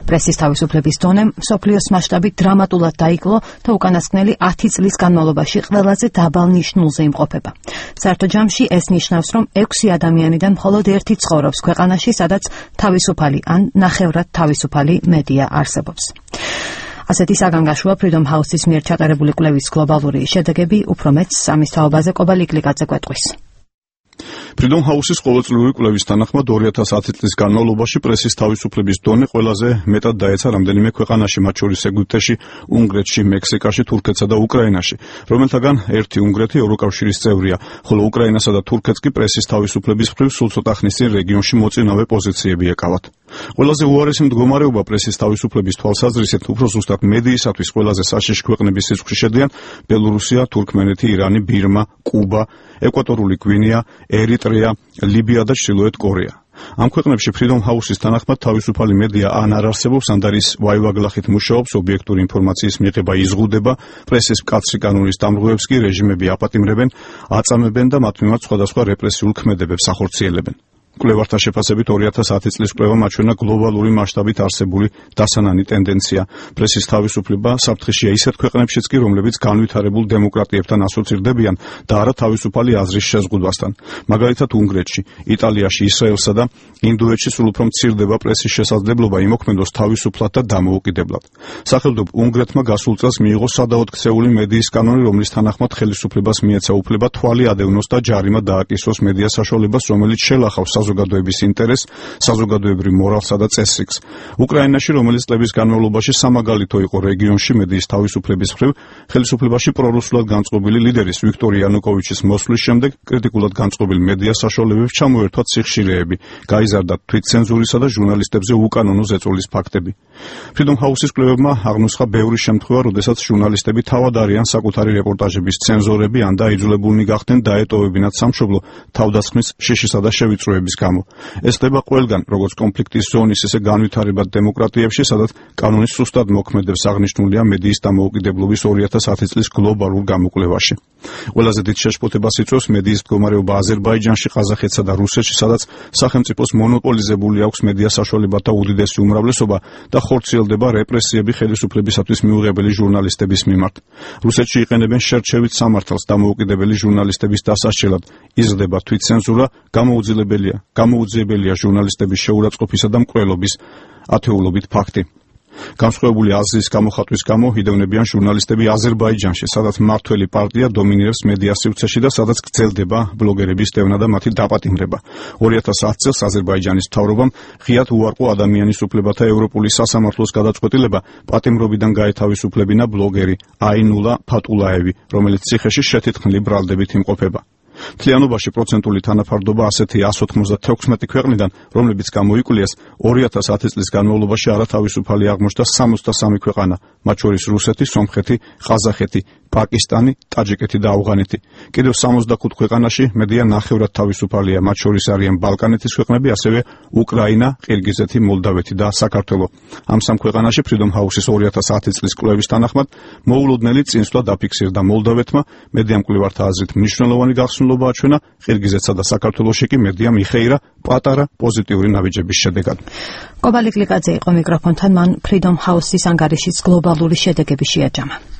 პრესის თავისუფლების დონე მსოფლიოს მასშტაბით დრამატულად დაიკლო და უკანასკნელი 10 წლის განმავლობაში ყველაზე დაბალ ნიშნულზე იმყოფება. საერთო ჯამში ეს ნიშნავს, რომ 6 ადამიანიდან მხოლოდ 1 ცხოვრობს ქვეყანაში, სადაც თავისუფალი ან ნახევრად თავისუფალი მედია არსებობს. ასეთი საგანგაშოა Freedom House-ის მიერ ჩატარებული კვლევის გლობალური შედეგები, უფრო მეც ამის თაობაზე კობალიკლიკაძე გვეტყვის. Freedom House-ის ყოველწლიური კვლევის თანახმად 2010 წლის განმავლობაში პრესის თავისუფლების დონე ყველაზე მეტად დაეცა რამდენიმე ქვეყანაში, მათ შორის ეგვიპტეში, უნგრეთში, მექსიკაში, თურქეთსა და უკრაინაში, რომელთაგან ერთი უნგრეთი ევროკავშირის წევრია, ხოლო უკრაინასა და თურქეთს კი პრესის თავისუფლების მხრივ სულ ცოტა ხნის წინ რეგიონში მოწინავე პოზიციები ეკავათ. ყველაზე უარესი მდგომარეობა პრესის თავისუფლების თვალსაზრისით უფრო ზუსტად მედიისათვის ყველაზე საშიში ქვეყნების სიცხში შედიან ბელორუსია, თურქმენეთი, ირანი, ბირმა, კუბა, ეკვატორული გვინეა, ერიტრეა, ლიბია და ჩრდილოეთ კორეა. ამ ქვეყნებში Freedom House-ის თანახმად თავისუფალი მედია ან არ არსებობს, ან არის ვაივაგლახით მუშაობს, ობიექტური ინფორმაციის მიღება იზღუდება, პრესის მკაცრი კანონის დამრღვევებს კი რეჟიმები აპატიმრებენ, აწამებენ და მათ მიმართ სხვადასხვა რეპრესიულ ქმედებებს ახორციელებენ. კვლევართა შეფასებით 2010 წლის კვლევამ აჩვენა გლობალური მასშტაბით არსებული დასანანი ტენდენცია. პრესის თავისუფლება საფრთხეშია ისეთ ქვეყნებშიც კი, რომლებიც განვითარებულ დემოკრატიებთან ასოცირდებიან და არა თავისუფალი აზრის შეზღუდვასთან. მაგალითად უნგრეთში, იტალიაში, ისრაელსა და ინდოეთში სულ უფრო მცირდება პრესის შესაძლებლობა იმოქმედოს თავისუფლად და დამოუკიდებლად. სახელმწიფო უნგრეთმა გასულ წელს მიიღო სადავოდ ქცეული მედიის კანონი, რომლის თანახმად ხელისუფლებას მიეცა უფლება თვალი ადევნოს და ჯარიმა დააკისროს მედია საშუალებას, რომელიც შელახავს საზოგადოების ინტერესს, საზოგადოებრივ მორალსა და წესრიგს. უკრაინაში, რომელიც წლების განმავლობაში სამაგალითო იყო რეგიონში მედიის თავისუფლების მხრივ, ხელისუფლებაში პრორუსულად განწყობილი ლიდერის ვიქტორ იანუკოვიჩის მოსვლის შემდეგ კრიტიკულად განწყობილ მედია საშუალებებს ჩამოერთვათ სიხშირეები, გაიზარდა თვითცენზურისა და ჟურნალისტებზე უკანონო ზეწოლის ფაქტები. Freedom House-ის კვლევებმა აღნუსხა ბევრი შემთხვევა, როდესაც ჟურნალისტები თავად არიან საკუთარი რეპორტაჟების ცენზორები, ან დაიძულებულნი გახდნენ დაეტოვებინათ სამშობლო თავდასხმის შიშისა და შევიწროების გამო. ეს ხდება ყველგან, როგორც კონფლიქტის ზონის, ისე განვითარებად დემოკრატიებში, სადაც კანონის სუსტად მოქმედებს აღნიშნულია მედიის დამოუკიდებლობის 2010 წლის გლობალურ გამოკვლევაში. ყველაზე დიდ შეშფოთებას იწვევს მედიის მდგომარეობა აზერბაიჯანში, ყაზახეთსა და რუსეთში, სადაც სახელმწიფოს მონოპოლიზებული აქვს მედია საშუალებათა უდიდესი უმრავლესობა და ხორციელდება რეპრესიები ხელისუფლებისათვის მიუღებელი ჟურნალისტების მიმართ. რუსეთში იყენებენ შერჩევით სამართალს დამოუკიდებელი ჟურნალისტების დასასჯელად, იზრდება თვითცენზურა, გამოუძიებელია ჟურნალისტების შეურაცხყოფისა და მკვლელობის ათეულობით ფაქტი. განსხვავებული აზრის გამოხატვის გამო იდევნებიან ჟურნალისტები აზერბაიჯანში, სადაც მმართველი პარტია დომინირებს მედია სივრცეში და სადაც გრძელდება ბლოგერების დევნა და მათი დაპატიმრება. 2010 წელს აზერბაიჯანის მთავრობამ ღიად უარყო ადამიანის უფლებათა ევროპული სასამართლოს გადაწყვეტილება პატიმრობიდან გაეთავისუფლებინა ბლოგერი აინულა ფატულაევი, რომელიც ციხეში შეთითხმლი ბრალდებით იმყოფება. მთლიანობაში პროცენტული თანაფარდობა ასეთია 196 ქვეყნიდან, რომლებიც გამოიკვლიეს 2010 წლის განმავლობაში არათავისუფალი აღმოჩნდა 63 ქვეყანა, მათ შორის რუსეთი, სომხეთი, ყაზახეთი, პაკისტანი, ტაჯიკეთი და ავღანეთი. კიდევ 65 ქვეყანაში მედია ნახევრად თავისუფალია, მათ შორის არიან ბალკანეთის ქვეყნები, ასევე უკრაინა, ყირგიზეთი, მოლდავეთი და საქართველო. ამ სამ ქვეყანაში Freedom House-ის 2010 წლის კვლევის თანახმად მოულოდნელი წინსვლა დაფიქსირდა მოლდავეთმა, მედია მკვლევართა აზრით მნიშვნელოვანი გახსნილობა აჩვენა, ყირგიზეთსა და საქართველოში კი მედიამ იხეირა პატარა პოზიტიური ნაბიჯების შედეგად. კობალიკლიკაძე იყო მიკროფონთან, მან Freedom House-ის ანგარიშის გლობალური შედეგები შეაჯამა.